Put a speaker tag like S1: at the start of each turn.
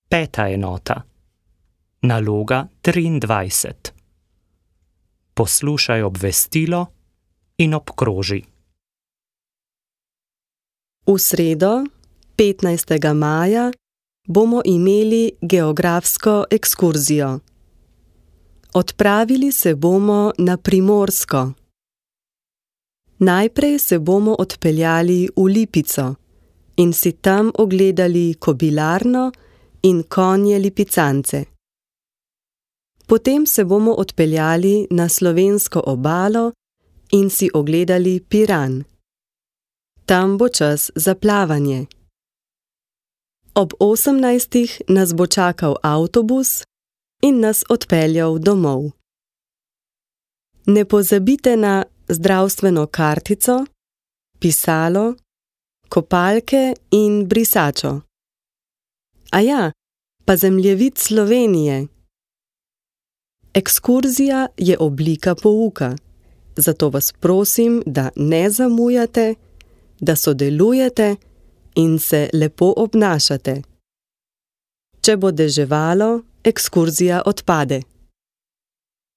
S1: 5. enota. Naloga 23. Poslušaj obvestilo in obkroži.
S2: V sredo, 15. maja, bomo imeli geografsko ekskurzijo. Odpravili se bomo na Primorsko. Najprej se bomo odpeljali v Lipico in si tam ogledali kobilarno in konje lipicance. Potem se bomo odpeljali na slovensko obalo in si ogledali Piran. Tam bo čas za plavanje. Ob 18. nas bo čakal avtobus in nas odpeljal domov. Ne pozabite na zdravstveno kartico, pisalo, kopalke in brisačo. Aja, pa zemljevid Slovenije. Ekskurzija je oblika pouka, zato vas prosim, da ne zamujate, da sodelujete in se lepo obnašate. Če bo deževalo, ekskurzija odpade.